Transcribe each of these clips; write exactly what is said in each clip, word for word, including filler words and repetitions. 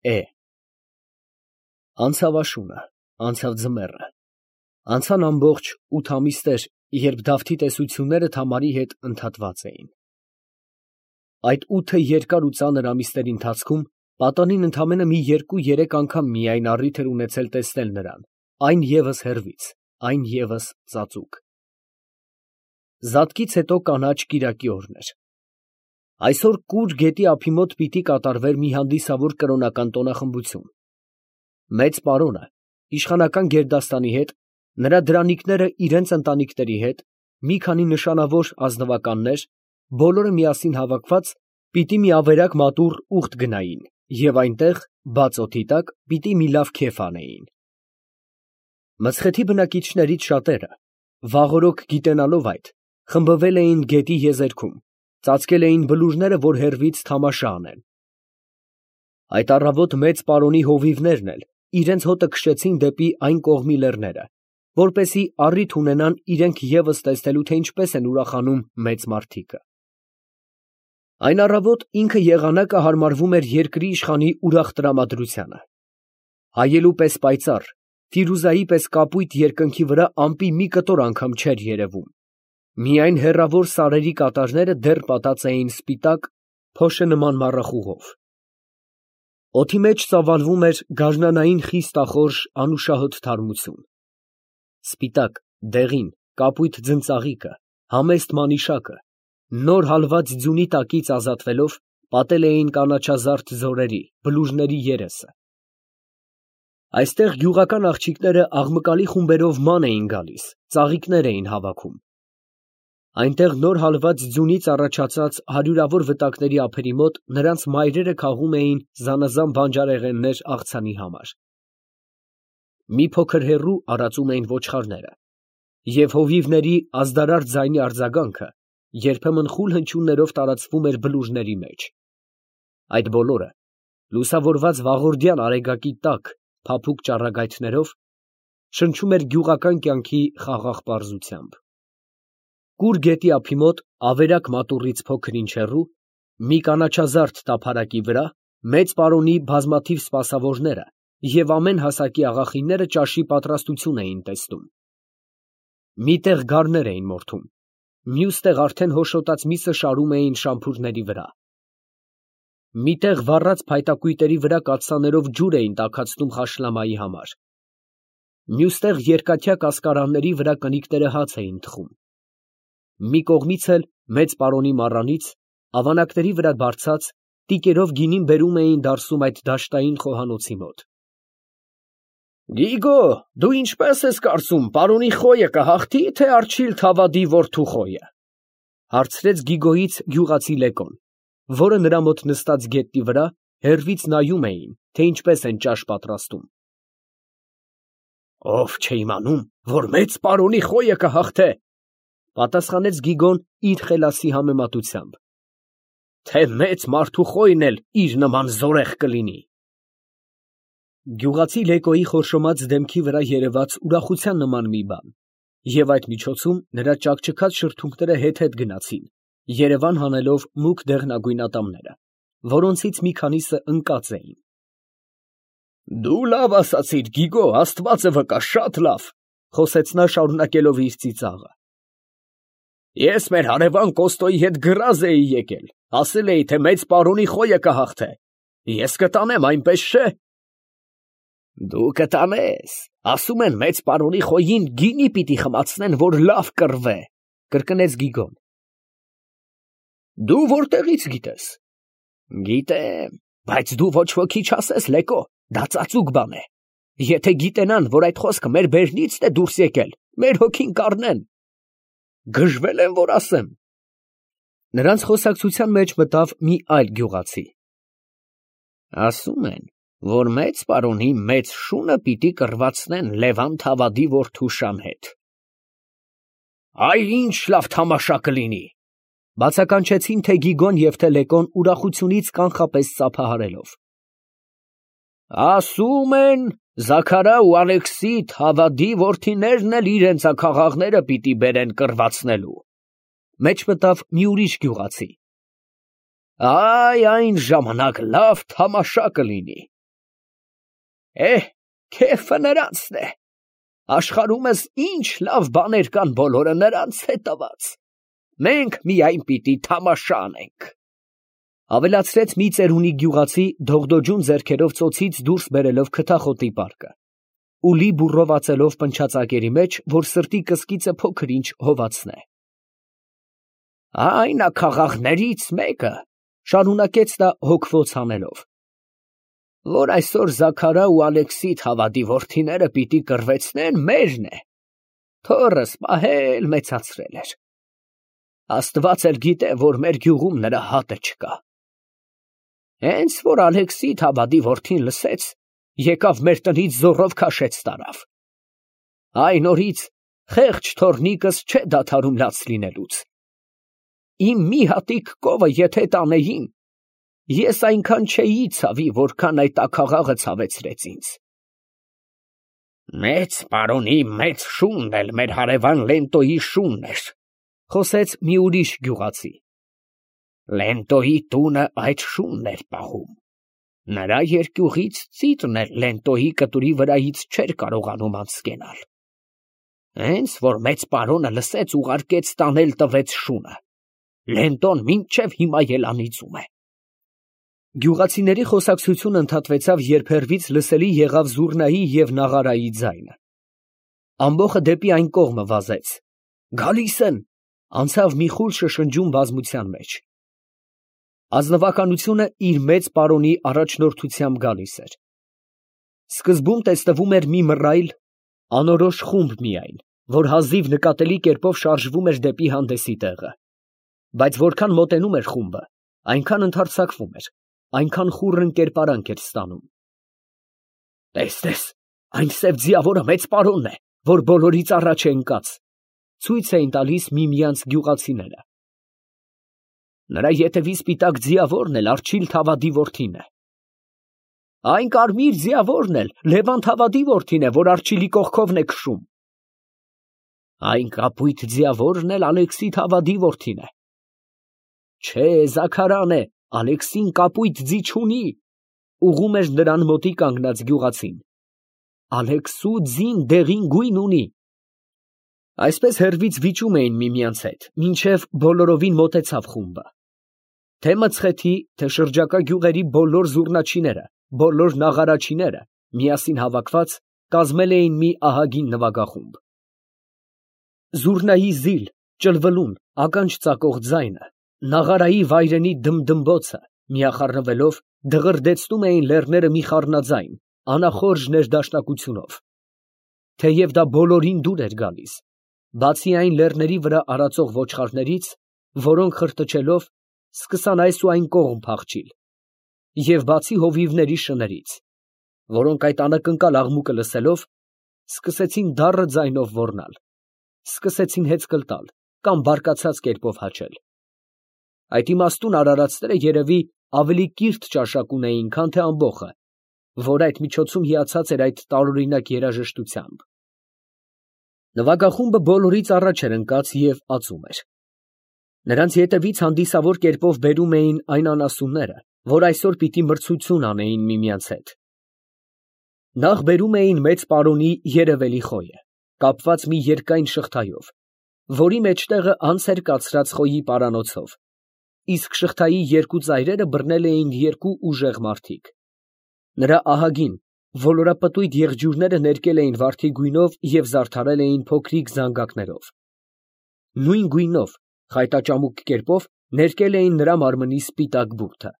Է Անցավ աշունը, անցավ ձմեռը, անցան ամբողջ ութ ամիսներ, երբ Դավթի տեսությունները Թամարի հետ ընդհատված էին։ Այդ ութը երկար ու ծանր ամիսների ընթացքում պատանին ընդամենը մի երկու֊երեք անգամ միայն առիթ էր ունեցել տեսնել նրան, այն ևս հեռվից, այն ևս ծածուկ։ Զատկից հետո կանաչ կիրակի օրն էր։ Այսօր կուր գետի ափի մոտ պիտի կատարվեր մի հանդիսավոր կրոնական տոնախմբություն։ Մեծ պարոնը իշխանական գերդաստանի հետ, նրա դրանիկները իրենց ընտանիքների հետ, մի քանի նշանավոր ազնվականներ, բոլորը միասին հավաքված, պիտի մի ավերակ մատուռ ուխտ գնային և այնտեղ, բաց օդի տակ, պիտի մի լավ քեֆ անեին։ Մցխեթի բնակիչներից շատերը, վաղօրոք գիտենալով այդ, խմբվել էին գետի եզերքում, ծածկել էին բլուրները, որ հեռվից թամաշա անեն։ Այդ առավոտ մեծ պարոնի հովիվներն էլ իրենց հոտը քշեցին դեպի այն կողմի լեռները, որպեսզի առիթ ունենան իրենք ևս տեսնելու, թե ինչպես են ուրախանում մեծ մարդիկը։ Այն առավոտ ինքը եղանակը հարմարվում էր երկրի իշխանի ուրախ տրամադրությանը։ Հայելու պես պայծառ, Ֆիրուզայի պես կապույտ երկնքի վրա ամպի մի կտոր անգամ չէր երևում, միայն հեռավոր սարերի կատարները դեռ պատած էին սպիտակ, փոշի նման մառախուղով։ Օդի մեջ ծավալվում էր գարնանային խիստախորժ անուշահոտ թարմություն։ Սպիտակ, դեղին, կապույտ ձնծաղիկը, համեստ մանիշակը, նոր հալված ձյունի տակից ազատվելով, պատել էին կանաչազարդ ձորերի, բլուրների երեսը։ Այստեղ գյուղական աղջիկները աղմկալի խումբերով ման էին գալիս, ծաղիկներ էին հավաքում։ Այնտեղ նոր հալված ձյունից առաջացած հարյուրավոր վտակների ափերի մոտ նրանց մայրերը քաղում էին զանազան բանջարեղեններ աղցանի համար։ Մի փոքր հեռու արածում էին ոչխարները, և հովիվների ազդարար ձայնի արձագանքը երբեմն խուլ հնչյուններով տարածվում էր բլուրների մեջ։ Այդ բոլորը, լուսավորված վաղորդյան արեգակի տաք, փափուկ ճառագայթներով, շնչում էր գյուղական կյանքի խաղաղ պարզությամբ։ Կուր գետի ափի մոտ, ավերակ մատուռից փոքր-ինչ հեռու, մի կանաչազարդ տափարակի վրա, մեծ պարոնի բազմաթիվ սպասավորները և ամեն հասակի աղախինները ճաշի պատրաստություն էին տեսնում։ Մի տեղ գառներ էին մորթում, մյուս տեղ արդեն հոշոտած միսը շարում էին շամփուրների վրա։ Մի տեղ վառած փայտակույտերի վրա կաթսաներով ջուր էին տաքացնում խաշլամայի համար։ Մյուս տեղ երկաթյա կասկարանների վրա կնիկները հաց էին թխում։ Մի կողմից էլ մեծ պարոնի մառանից, ավանակների վրա բարձած, տիկերով գինին բերում էին դարսում այդ դաշտային խոհանոցի մոտ։ Գիգո, դու ինչպես ես կարծում, պարոնի խոյը կհաղթի, թե Արջիլ Թավադի որդու խոյը, հարցրեց Գիգոյից գյուղացի Լեկոն, որը նրա մոտ նստած գետնի վրա հեռվից նայում էին, թե ինչպես են ճաշ պատրաստում։ Ով չէ իմանում, որ մեծ պարոնի խոյը կհաղթե, պատասխանեց Գիգոն իր խելացի համեմատությամբ, թե մեծ մարդու խոյն էլ իր նման զորեղ կլինի։ Գյուղացի Լեկոյի խորշոմած դեմքի վրա երևաց ուրախության նման մի բան, և այդ միջոցում նրա ճաքճքած շրթունքները հետ֊հետ գնացին, երևան հանելով մուգ դեղնագույն ատամները, որոնցից մի քանիսը ընկած էին։ Դու լավ ասացիր, Գիգո, Աստվածը վկա, շատ լավ, խոսեց նա շարունակելով իր ծիծաղը։ Ես մեր հարևան Կոստոյի հետ գրազ էի եկել, ասել էի, թե մեծ պարոնի խոյը կհաղթե, ես կտանեմ, այնպես չէ։ Դու կտանես, ասում են մեծ պարոնի խոյին գինի պիտի խմացնեն, որ լավ կռվե, կրկնեց Գիգոն։ Դու որտեղից գիտես։ Գիտեմ, բայց դու ոչ ոքի չասես, Լեկո, դա ծածուկ բան է։ Եթե գիտենան, որ այդ խոսքը մեր բերնիցն է դուրս եկել, մեր հոգին կառնեն։ Գժվել եմ, որ ասեմ։ Նրանց խոսակցության մեջ մտավ մի այլ գյուղացի։ Ասում են, որ մեծ պարոնի մեծ շունը պիտի կռվածնեն Լևան Թավադի որդու Շան հետ։ Այ ինչ լավ թամաշա կլինի, բացականչեցին թե Գիգոն և թե Լեկոն ուրախությունից կանխապես ծափահարելով։ Ասում են, Զաքարա ու Ալեքսի Թավադի որդիներն էլ իրենց աքաղաղները պիտի բերեն կռվածնելու, մեջ մտավ մի ուրիշ գյուղացի։ Այ այն ժամանակ լավ թամաշա կլինի, Է, քեֆը նրանցն է։ Աշխարհումս ինչ լավ բաներ կան, բոլորը նրանց է տված։ Մենք միայն պիտի թամաշա անենք։ Ավելացրեց մի ծերունի գյուղացի դողդոջուն ձեռքերով ծոցից դուրս բերելով քթախոտի պարկը, ու լի բուրովացելով պնչացակերի մեջ, որ սրտի կսկիծը փոքր ինչ հովացնե։ Այն աքաղաղներից մեկը, շարունակեց նա հոգվոց հանելով, որ այսօր Զաքարա ու Ալեքսիդ հավատի որդիները պիտի կռվեցնեն, մերն է, թոռս պահել մեծացրել էր։ Աստված էլ գիտե, որ մեր գյուղում նրա հատը չկա։ Հենց որ Ալեքսիդ հավատի որդին լսեց, եկավ մեր տնից զոռով քաշեց տարավ։ Այն օրից խեղճ թոռնիկս չէ դադարում լաց լինելուց։ Իմ մի հատիկ կովը եթե տանեին, ես այնքան չէի ցավի, որքան այդ աքաղաղը ցավեցրեց ինձ։ Մեծ պարոնի մեծ շունն էլ մեր հարևան Լենտոյի շունն էր, խոսեց մի ուրիշ գյուղացի։ Լենտոյի տունը այդ շունն էր պահում։ Նրա երկյուղից ծիծն էլ Լենտոյի կտուրի վրայից չէր կարողանում անցկենալ։ Հենց որ մեծ պարոնը լսեց, ուղարկեց տանել տվեց շունը։ Լենտոն մինչև հիմա ելանիծում է։ Գյուղացիների խոսակցությունը ընդհատվեցավ, երբ հեռվից լսելի եղավ զուռնայի և նաղարայի ձայնը։ Ամբոխը դեպի այն կողմը վազեց։ Գալիս են, անցավ մի խուլ շշնջուն բազմության մեջ։ Ազնվականությունը իր մեծ պարոնի առաջնորդությամբ գալիս էր։ Սկզբում տեսնվում էր մի մռայլ, անորոշ խումբ միայն, որ հազիվ նկատելի կերպով շարժվում էր դեպի հանդեսի տեղը։ Բայց որքան մոտենում էր խումբը, այնքան ընդարձակվում էր, այնքան խուռն կերպարանք էր ստանում։ Տես, տես, այն սև ձիավորը մեծ պարոնն է, որ բոլորից առաջ է ընկած, ցույց էին տալիս միմյանց գյուղացիները։ Նրա ետևի սպիտակ ձիավորն էլ Արչիլ Թավադի որդին է։ Այն կարմիր ձիավորն էլ Լևան Թավադի որդին է, որ Արչիլի կողքովն է քշում։ Այն կապույտ ձիավորն էլ Ալեքսի Թավադի որդին է։ Չէ, Զաքարան է, Ալեքսին կապույտ ձի չունի, ուղղում էր նրան մոտի կանգնած գյուղացին։ Ալեքսու ձին դեղին գույն ունի։ Այսպես հեռվից վիճում էին միմյանց հետ, մինչև բոլորովին մոտեցավ խումբը։ Թե մցխեթի, թե շրջակա գյուղերի բոլոր զուռնաչիները, բոլոր նաղարաչիները միասին հավաքված կազմել էին մի ահագին նվագախումբ։ Զուռնայի զիլ, ճլվլուն, ականջ ծակող ձայնը, նաղարայի վայրենի դմդմբոցը միախառնվելով դղրդեցնում էին լեռները մի խառնաձայն, անախորժ ներդաշնակությունով։ Թեև դա բոլորին դուր էր գալիս, բացի այն լեռների վրա արածող ոչխարներից, որոնք խրտչելով սկսան այս ու այն կողմ փախչիլ, և բացի հովիվների շներից, որոնք այդ անակնկալ աղմուկը լսելով, սկսեցին դառը ձայնով ոռնալ, սկսեցին հեծկլ տալ կամ բարկացած կերպով հաչել։ Այդ իմաստուն արարածները երևի ավելի կիրթ ճաշակ ունեին, քան թե ամբոխը, որ այդ միջոցում հիացած էր այդ տարօրինակ երաժշտությամբ։ Նվագախումբը բոլորից առաջ էր ընկած և ածում էր։ Նրանց ետևից հանդիսավոր կերպով բերում էին այն անասունները, որ այսօր պիտի մրցություն անեին միմյանց հետ։ Նախ բերում էին մեծ պարոնի երևելի խոյը, կապված մի երկայն շղթայով, որի մեջտեղը անց էր կացրած խոյի պարանոցով, իսկ շղթայի երկու ծայրերը բռնել էին երկու ուժեղ մարդիկ։ Նրա ահագին, ոլորապտույտ եղջյուրները ներկել էին վարդի գույնով և զարդարել էին փոքրիկ զանգակներով։ Նույն գույնով, խայտաճամուկ կերպով ներկել էին նրա մարմնի սպիտակ բուրդը։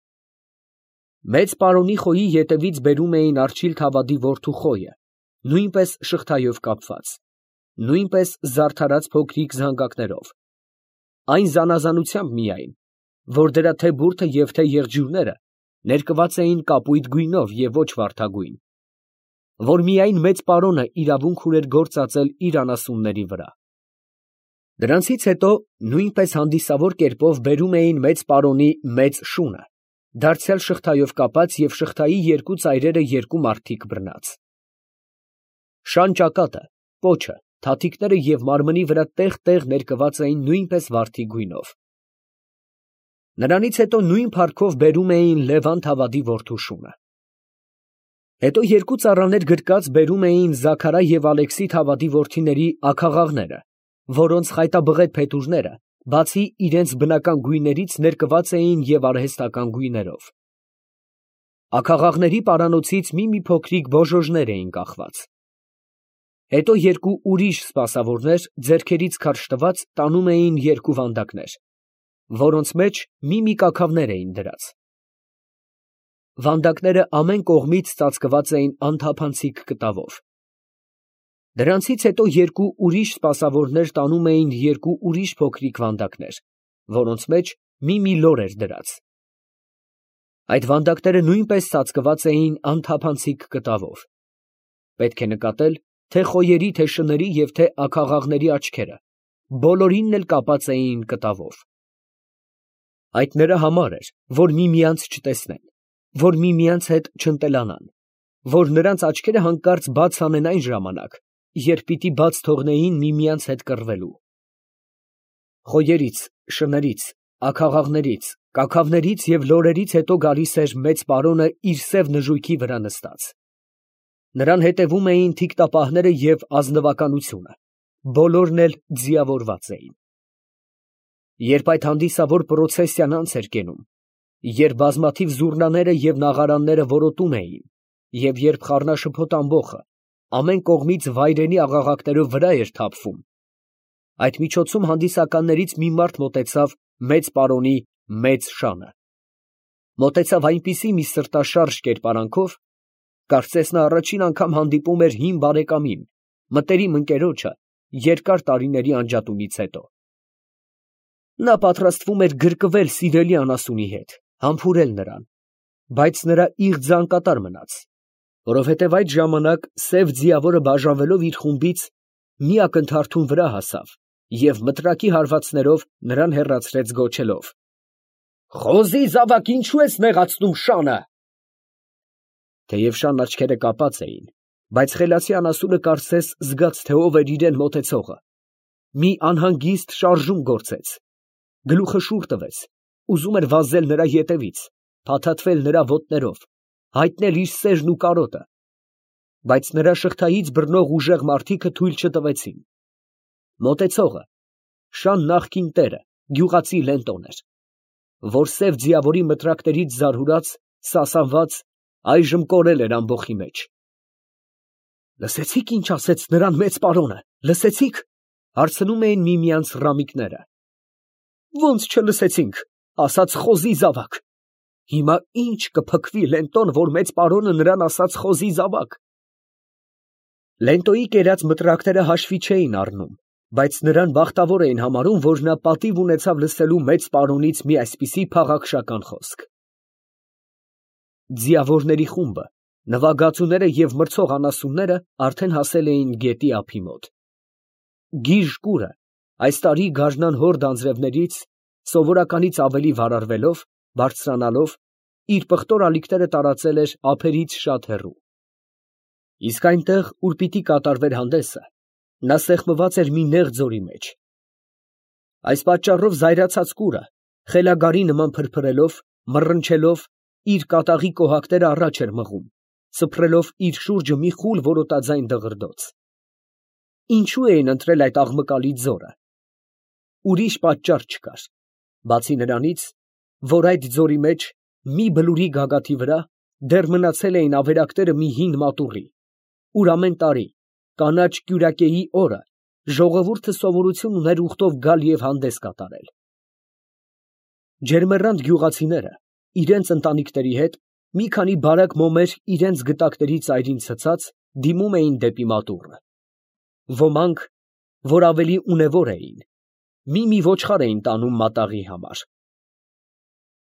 Մեծ պարոնի խոյի ետևից բերում էին Արչիլ Թավադի որդու խոյը, նույնպես շղթայով կապված, նույնպես զարդարած փոքրիկ զանգակներով, այն զանազանությամբ միայն, որ դրա թե բուրդը և թե եղջյուրները ներկված էին կապույտ գույնով և ոչ վարդագույն, որ միայն մեծ պարոնը իրավունք ուներ գործ ածել իր անասունների վրա։ Դրանցից հետո նույնպես հանդիսավոր կերպով բերում էին մեծ պարոնի մեծ շունը, դարձյալ շղթայով կապած և շղթայի երկու ծայրերը երկու մարդիկ բռնած։ Շան ճակատը, պոչը, թաթիկները և մարմնի վրա տեղ֊տեղ ներկված էին նույնպես վարդի գույնով։ Նրանից հետո նույն փառքով բերում էին Լևան Թավադի որդու շունը։ Հետո երկու ծառաներ գրկած բերում էին Զաքարա և Ալեքսի Թավադի որդիների աքաղաղները, որոնց խայտաբղետ փետուրները, բացի իրենց բնական գույներից, ներկված էին և արհեստական գույներով։ Աքաղաղների պարանոցից մի֊մի փոքրիկ բոժոժներ էին կախված։ Հետո երկու ուրիշ սպասավորներ, ձեռքերից քարշ տված, տանում էին երկու վանդակներ, որոնց մեջ մի֊մի կաքավներ էին դրած։ Վանդակները ամեն կողմից ծածկված էին անթափանցիկ կտավով։ Դրանցից հետո երկու ուրիշ սպասավորներ տանում էին երկու ուրիշ փոքրիկ վանդակներ, որոնց մեջ մի֊մի լոր էր դրած։ Այդ վանդակները նույնպես ծածկված էին անթափանցիկ կտավով։ Պետք է նկատել, թե խոյերի, թե շների և թե աքաղաղների աչքերը բոլորինն էլ կապած էին կտավով։ Այդ նրա համար էր, որ միմյանց չտեսնեն, որ միմյանց հետ չընտելանան, որ նրանց աչքերը հանկարծ բաց անեն այն ժամանակ, երբ պիտի բաց թողնեին միմյանց հետ կռվելու։ Խոյերից, շներից, աքաղաղներից, կաքավներից և լորերից հետո գալիս էր մեծ պարոնը իր սև նժույգի վրա նստած։ Նրան հետևում էին թիկտապահները և ազնվականությունը, բոլորն էլ ձիավորված էին։ Երբ այդ հանդիսավոր պրոցեսիան անց էր կենում, երբ բազմաթիվ զուռնաները և նաղարանները որոտում էին, և երբ խառնաշփոթ ամբոխը ամեն կողմից վայրենի աղաղակներով վրա էր թափվում, այդ միջոցում հանդիսականներից մի մարդ մոտեցավ մեծ պարոնի մեծ շանը։ Մոտեցավ այնպիսի մի սրտաշարժ կերպարանքով, կարծես նա առաջին անգամ հանդիպում էր հին բարեկամին, մտերիմ ընկերոջը երկար տարիների անջատումից հետո։ Նա պատրաստվում էր գրկվել սիրելի անասունի հետ, համբուրել նրան, բայց նրա իղձը անկատար մնաց, որովհետև այդ ժամանակ սև ձիավորը բաժանվելով իր խումբից մի ակնթարթուն վրա հասավ և մտրակի հարվածներով նրան հեռացրեց գոչելով. «Խոզի զավակ, ինչո՞ւ ես նեղացնում շանը»։ Թեև շան աչքերը կապած էին, բայց խելացի անասունը կարծես զգաց, թե ով էր իրան մոտեցողը, մի անհանգիստ շարժում գործեց, գլուխը շուռ տվեց, ուզում էր վազել նրա ետևից, փաթաթվել նրա ոտներով, հայտնել իր սերն ու կարոտը, բայց նրա շղթայից բռնող ուժեղ մարդիկը թույլ չտվեցին։ Մոտեցողը շան նախկին տերը, գյուղացի Լենտոն էր, որ սև ձիավորի մտրակներից զարհուրած, սասանված, այժմ կորել էր ամբոխի մեջ։ «Լսեցի՞ք, ինչ ասեց նրան մեծ պարոնը, լսեցի՞ք», հարցնում էին միմյանց ռամիկները։ «Ո՞նց չլսեցինք, ասաց խոզի զավակ»։ Հիմա ի՞նչ կփքվի Լենտոն, որ մեծ պարոնը նրան ասաց խոզի զավակ։ Լենտոյի կերած մտրակները հաշվի չէին առնում, բայց նրան բախտավոր էին համարում, որ նա պատիվ ունեցավ լսելու մեծ պարոնից մի այսպիսի փաղաքշական խոսք։ Ձիավորների խումբը, նվագածուները և մրցող անասունները արդեն հասել էին գետի ափի մոտ։ Գիժ կուրը այս տարի գարնան հորդ անձրևներից սովորականից ավելի վարարվելով, բարձրանալով, իր պղտոր ալիքները տարածել էր ափերից շատ հեռու։ Իսկ այնտեղ, ուր պիտի կատարվեր հանդեսը, նա սեղմված էր մի նեղ ձորի մեջ։ Այս պատճառով զայրացած կուրը, խելագարի նման փրփրելով, մռնչելով, իր կատաղի կոհակները առաջ էր մղում, սփռելով իր շուրջը մի խուլ որոտաձայն դղրդոց։ Ինչու էին ընտրել այդ աղմկալի ձորը։ Ուրիշ պատճառ չկար, բացի նրանից, որ այդ ձորի մեջ, մի բլուրի գագաթի վրա, դեռ մնացել էին ավերակները մի հին մատուռի, ուր ամեն տարի, կանաչ կյուրակեի օրը, ժողովուրդը սովորություն ուներ ուխտով գալ և հանդես կատարել։ Ջերմեռանդ գյուղացիները, իրենց ընտանիքների հետ, մի քանի բարակ մոմեր իրենց գտակների ծայրին ցցած, դիմում էին դեպի մատուռը։ Ոմանք, որ ավելի ունևոր էին, մի֊մի ոչխար էին տանում մատաղի համար։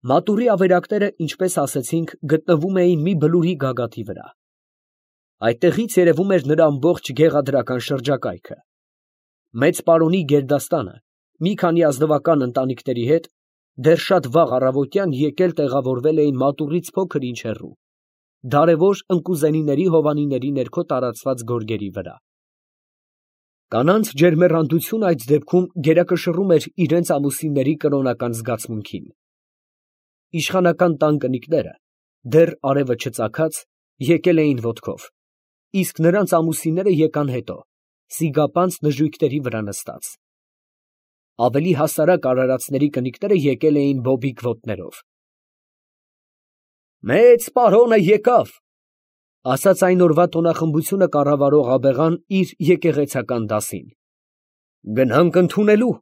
Մատուռի ավերակները, ինչպես ասեցինք, գտնվում էին մի բլուրի գագաթի վրա։ Այդտեղից երևում էր նրա ամբողջ գեղադրական շրջակայքը։ Մեծ պարոնի գերդաստանը մի քանի ազնվական ընտանիքների հետ դեռ շատ վաղ առավոտյան եկել տեղավորվել էին մատուռից փոքր ինչ հեռու, դարևոր ընկուզենիների հովանիների ներքո տարածված գորգերի վրա։ Կանանց ջերմեռանդությունը այդ դեպքում գերակշռում էր իրենց ամուսինների կրոնական զգացմունքին։ Իշխանական տան կնիկները, դեռ արևը չծագած, եկել էին ոտքով, իսկ նրանց ամուսինները եկան հետո, սիգապանծ նժույգների վրա նստած. ավելի հասարակ արարածների կնիկները եկել էին բոբիկ ոտներով։ «Մեծ պարոնը եկավ», ֊ ասաց այն օրվա տոնախմբությունը կառավարող աբեղան իր եկեղեցական դասին։ ֊ Գնանք ընդունելու։